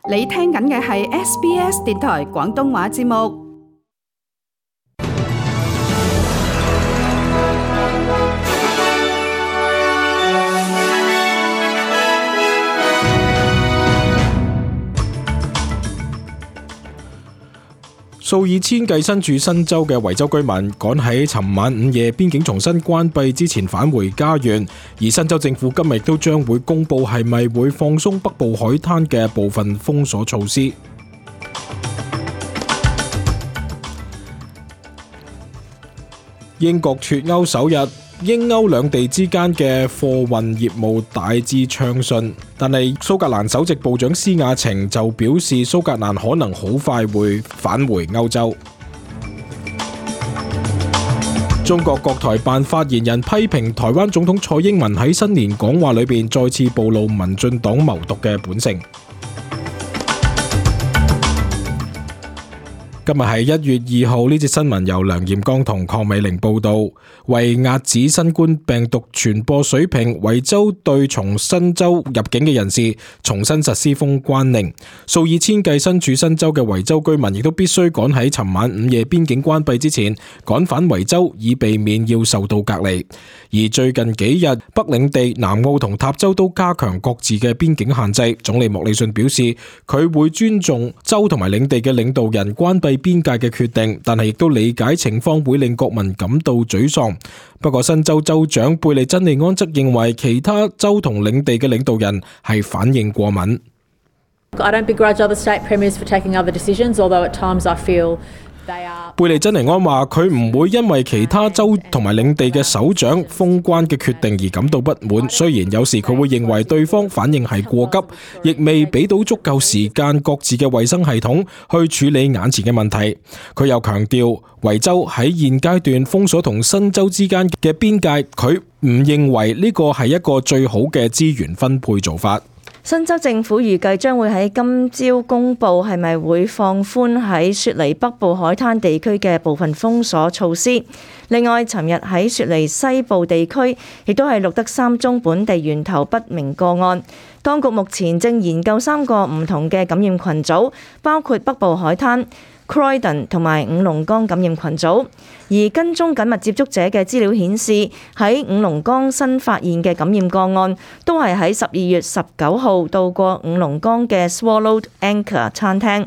你聽緊嘅係 SBS 電台廣東話節目。數以千計身處新州嘅維州居民趕喺尋晚午夜邊境重新關閉之前返回家園，而新州政府今日亦都將會公布係咪會放鬆北部海灘嘅部分封鎖措施。英國脫歐首日，英歐兩地之間嘅貨運業務大致暢順，但係蘇格蘭首席部長施雅晴就表示蘇格蘭可能好快會返回歐洲。中國國台辦發言人批評台灣總統蔡英文喺新年講話裏邊再次暴露民進黨謀獨嘅本性。今日係1月2號，呢節新聞由梁彥剛同鄺美玲報道。為遏止新冠病毒傳播水平，維州對從新州入境嘅人士重新實施封關令。數以千計身處新州嘅維州居民亦都必須趕喺尋晚午夜邊境關閉之前趕返維州，以避免要受到隔離。而最近幾日，北領地、南澳同塔州都加強各自嘅邊境限制。總理莫里遜表示，佢會尊重州同埋領地嘅領導人關閉邊界嘅決定，但係亦都理解情況會令國民感到沮喪。不過新州州長貝利珍尼安則認為其他州同領地嘅領導人係反應過敏。I don't begrudge other state premiers for taking other decisions, although at times I feel they are. 貝利珍尼安話佢唔會因為其他州同埋領地嘅首長封關嘅決定而感到不滿，雖然有時佢會認為對方反應係過急，亦未俾到足夠時間各自嘅衛生系統去處理眼前嘅問題。佢又強調維州喺現階段封鎖同新州之間嘅邊界，佢唔認為呢個係一個最好嘅資源分配做法。新州政府預計將會喺今朝公布係咪會放寬喺雪梨北部海灘地區嘅部分封鎖措施。另外，尋日喺雪梨西部地區亦都係錄得3宗本地源頭不明個案。當局目前正研究3個唔同嘅感染群組，包括北部海灘、Croydon 同埋五龍崗感染群組，而跟蹤緊密接觸者嘅資料顯示，喺五龍崗新發現嘅感染個案都係喺12月19號到過五龍崗嘅 Swallowed Anchor 餐廳。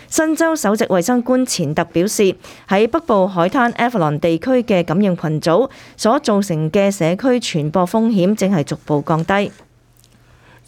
新州首席衛生官錢特表示，喺北部海灘 Avalon 地區嘅感染群組所造成嘅社區傳播風險正係逐步降低。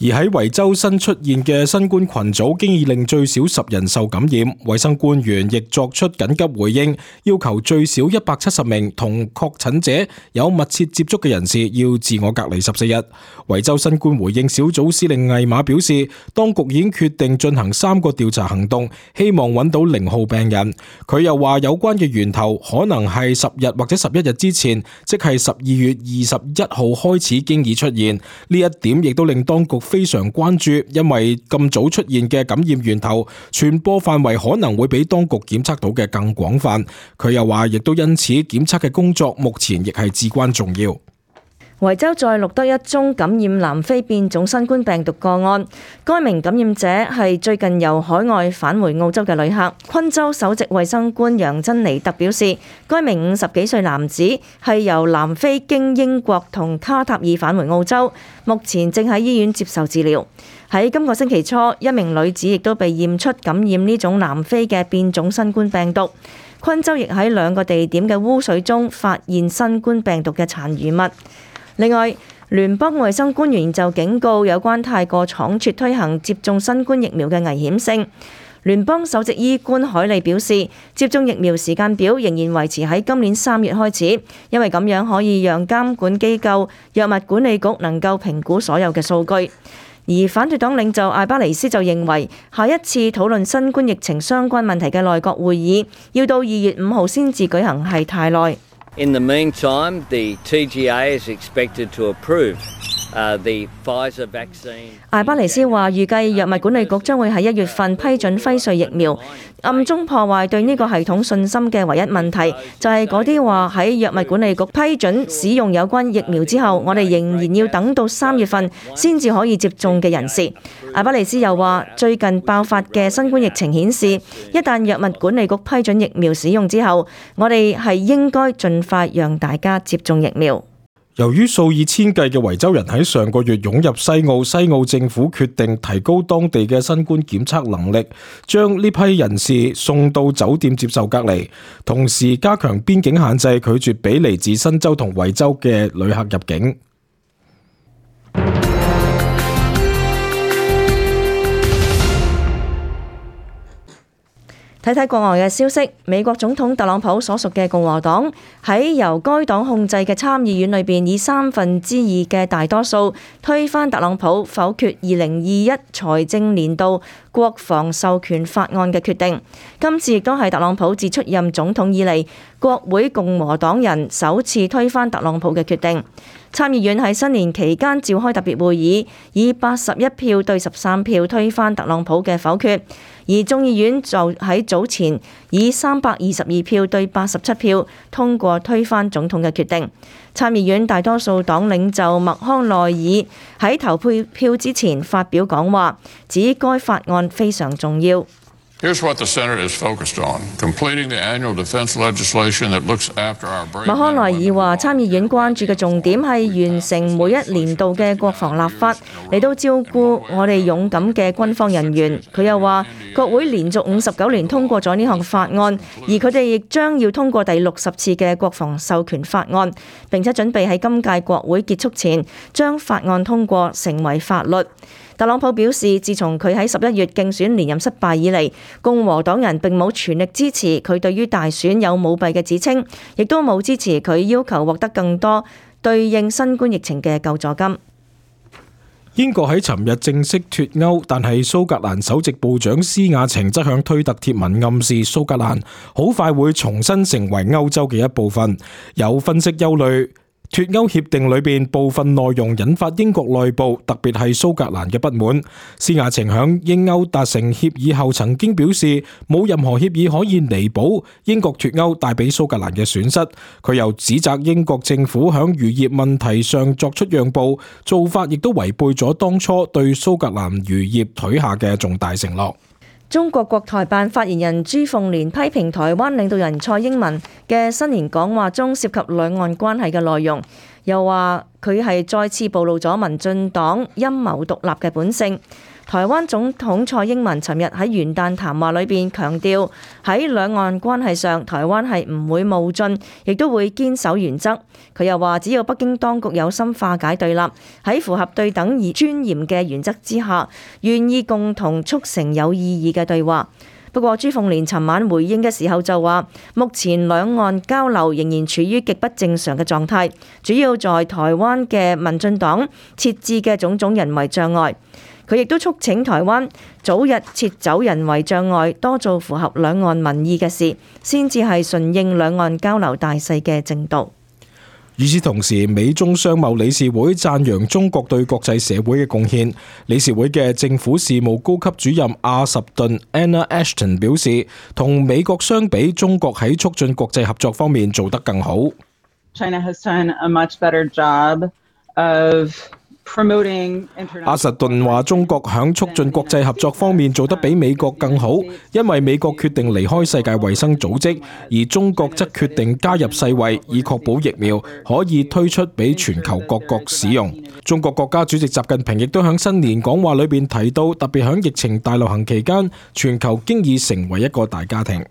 而喺維州新出現嘅新冠群組，經已令最少10人受感染。衛生官員亦作出緊急回應，要求最少170名同確診者有密切接觸嘅人士要自我隔離14日。維州新冠回應小組司令魏馬表示，當局已經決定進行3個調查行動，希望揾到0號病人。佢又話有關嘅源頭可能係10日或者11日之前，即係12月21號開始經已出現。呢一點亦都令當局非常關注，因為咁早出現嘅感染源頭，傳播範圍可能會比當局檢測到嘅更廣泛。佢又話，亦都因此檢測嘅工作目前亦係至關重要。維州再錄得1宗感染南非變種新冠病毒個案，該名感染者係最近由海外返回澳洲嘅旅客。昆州首席衛生官楊珍尼特表示，該名50幾歲男子係由南非經英國同卡塔爾返回澳洲，目前正喺醫院接受治療。喺今個星期初，一名女子亦都被驗出感染呢種南非嘅變種新冠病毒。昆州亦喺2個地點嘅污水中發現新冠病毒嘅殘餘物。另外，聯邦衛生官員就警告有關太過倉促推行接種新冠疫苗嘅危險性。聯邦首席醫官海利表示，接種疫苗時間表仍然維持喺今年3月開始，因為咁樣可以讓監管機構藥物管理局能夠評估所有嘅數據。而反對黨領袖艾巴尼斯就認為，下一次討論新冠疫情相關問題嘅內閣會議要到2月5號先至舉行係太耐。In the meantime, the TGA is expected to approve 艾巴尼斯話：預計藥物管理局將會喺1月份批准輝瑞疫苗，暗中破壞對呢個系統信心嘅唯一問題，就係嗰啲話喺藥物管理局批准使用有關疫苗之後，我哋仍然要等到3月份先至可以接種嘅人士。艾巴尼斯又話：最近爆發嘅新冠疫情顯示，一旦藥物管理局批准疫苗使用之後，我哋係應該盡快讓大家接種疫苗。由於數以千計嘅維州人喺上個月湧入西澳政府決定提高當地嘅新冠檢測能力，將呢批人士送到酒店接受隔離，同時加強邊境限制，拒絕俾嚟自新州同維州嘅旅客入境。睇睇國外嘅消息，美國總統特朗普所屬嘅共和黨喺由該黨控制嘅參議院裏邊，以2/3嘅大多數推翻特朗普否決2021財政年度國防授權法案嘅決定。今次亦都係特朗普自出任總統以嚟，國會共和黨人首次推翻特朗普嘅決定。參議院喺新年期間召開特別會議，以81票對13票推翻特朗普嘅否決，而眾議院就喺早前以322票對87票通過推翻總統嘅決定。參議院大多數黨領袖麥康奈爾喺投票之前發表講話，指該法案非常重要。Here's what the Senate is focused on: completing the annual defense legislation that looks after our brave men and women. 麥康奈爾話：參議院關注嘅重點係完成每一年度嘅國防立法，嚟到照顧我哋勇敢嘅軍方人員。佢又話：國會連續59年通過咗呢項法案，而佢哋亦將要通過第60次嘅國防授權法案，並且準備喺今屆國會結束前將法案通過成為法律。特朗普表示，自從佢喺11月競選連任失敗以嚟，共和黨人並冇全力支持佢對於大選有舞弊嘅指稱，亦都冇支持佢要求獲得更多對應新冠疫情嘅救助金。英國喺尋日正式脫歐，但係蘇格蘭首席部長施雅晴則向推特貼文暗示蘇格蘭好快會重新成為歐洲嘅一部分。有分析憂慮，脫歐協定裏邊部分內容引發英國內部，特別係蘇格蘭嘅不滿。施雅晴響英歐達成協議後曾經表示，冇任何協議可以彌補英國脫歐帶俾蘇格蘭嘅損失。佢又指責英國政府響漁業問題上作出讓步，做法亦都違背咗當初對蘇格蘭漁業許下嘅重大承諾。中國國台辦發言人朱鳳蓮批評台灣領導人蔡英文嘅新年講話中涉及兩岸關係嘅內容，又話佢係再次暴露咗民進黨陰謀獨立嘅本性。台灣總統蔡英文尋日喺元旦談話裏邊強調，喺兩岸關係上，台灣係唔會冒進，亦都會堅守原則。佢又話，只要北京當局有心化解對立，喺符合對等而尊嚴嘅原則之下，願意共同促成有意義嘅對話。不過朱鳳蓮尋晚回應嘅時候就話，目前兩岸交流仍然處於極不正常嘅狀態，主要在台灣嘅民進黨設置嘅種種人為障礙。佢亦都促請台灣早日撤走人為障礙，多做符合兩岸民意嘅事，先至係順應兩岸交流大勢嘅正道。與此同時，美中商貿理事會讚揚中國對國際社會嘅貢獻。理事會嘅政府事務高級主任阿什頓 Anna Ashton 表示，同美國相比，中國喺促進國際合作方面做得更好。China has done a much better job of阿什頓話：中國響促進國際合作方面做得比美國更好，因為美國決定離開世界衛生組織，而中國則決定加入世衛，以確保疫苗可以推出俾全球各國使用。中國國家主席習近平亦都響新年講話裏邊提到，特別響疫情大流行期間，全球經已成為一個大家庭。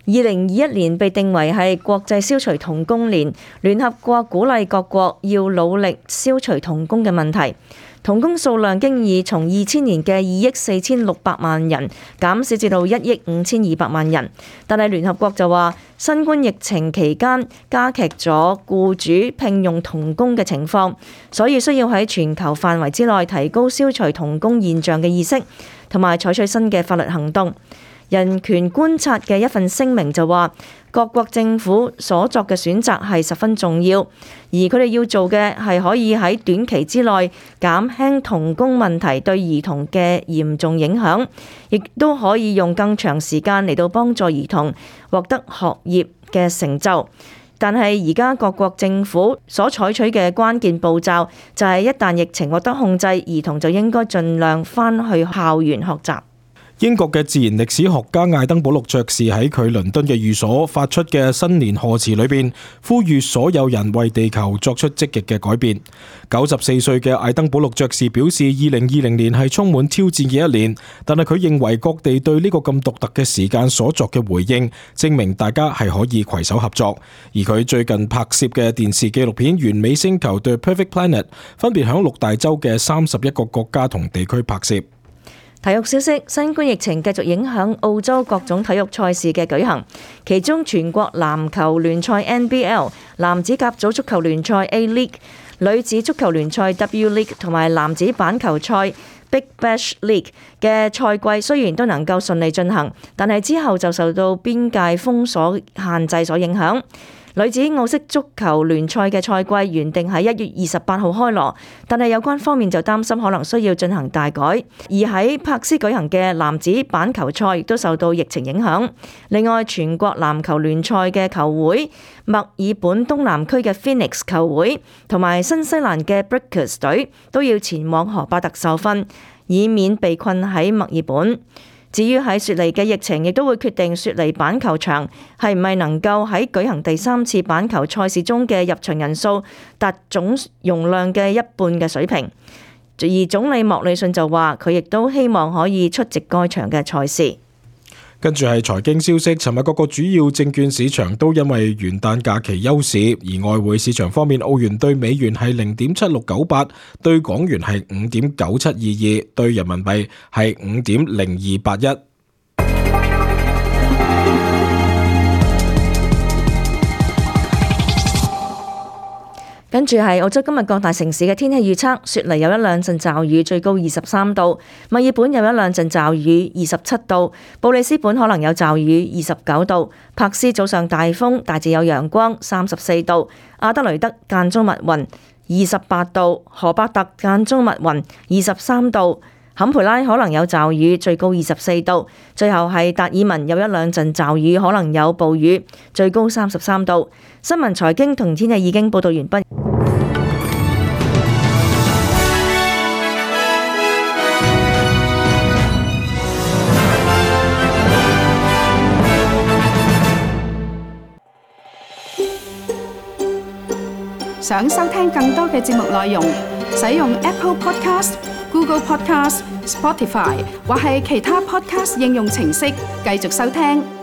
2021年被定為係國際消除童工年，聯合國鼓勵各國要努力消除童工嘅問題。童工數量經已從2000年嘅2億4600萬人減少至到1億5200萬人，但係聯合國就話，新冠疫情期間加劇咗僱主聘用童工嘅情況，所以需要喺全球範圍之內提高消除童工現象嘅意識，同埋採取新嘅法律行動。人權觀察嘅一份聲明就話，各國政府所作嘅選擇係十分重要，而佢哋要做嘅係可以喺短期之內減輕童工問題對兒童嘅嚴重影響，亦都可以用更長時間嚟到幫助兒童獲得學業嘅成就。但係而家各國政府所採取嘅關鍵步驟就係一旦疫情獲得控制，兒童就應該盡量返去校園學習。英國嘅自然歷史學家艾登堡陸爵士喺佢倫敦嘅寓所發出嘅新年賀詞裏邊，呼籲所有人為地球作出積極嘅改變。94歲嘅艾登堡陸爵士表示，2020年係充滿挑戰嘅一年，但係佢認為各地對呢個咁獨特嘅時間所作嘅回應，證明大家係可以攜手合作。而佢最近拍攝嘅電視紀錄片《完美星球》The Perfect Planet，分別響6大洲嘅31個國家同地區拍攝。體育消息：新冠疫情繼續影響澳洲各種體育賽事嘅舉行，其中全國籃球聯賽 NBL、男子甲組足球聯賽 A-League、女子足球聯賽 W-League 同埋男子板球賽 Big Bash League 嘅賽季雖然都能夠順利進行，但係之後就受到邊界封鎖限制所影響。女子澳式足球聯賽嘅賽季原定喺1月28號開鑼，但係有關方面就擔心可能需要進行大改。而喺柏斯舉行嘅男子板球賽亦都受到疫情影響。另外，全國籃球聯賽嘅球會、墨爾本東南區嘅 Phoenix 球會同埋新西蘭嘅 Breakers 隊都要前往荷伯特受訓，以免被困喺墨爾本。至於喺雪梨嘅疫情，亦都會決定雪梨板球場係唔係能夠喺舉行第3次板球賽事中嘅入場人數達總容量嘅一半嘅水平。而總理莫里遜就話，佢亦都希望可以出席該場嘅賽事。跟住係財經消息，尋日各個主要證券市場都因為元旦假期休市，而外匯市場方面，澳元對美元係0.7698，對港元係5.9722，對人民幣係5.0281。跟住係澳洲今日各大城市嘅天氣預測：雪梨有一兩陣驟雨，最高23度；墨爾本有一兩陣驟雨，27度；布里斯本可能有驟雨，29度；柏斯早上大風，大致有陽光，34度；阿德雷德間中密雲，28度；荷伯特間中密雲，23度；坎培拉可能有驟雨，最高24度；最後係達爾文有一兩陣驟雨，可能有暴雨，最高33度。新聞財經同天氣已經報道完畢。想收聽更多嘅節目內容，使用 Apple Podcast、Google Podcast、Spotify 或係其他 Podcast 應用程式繼續收聽。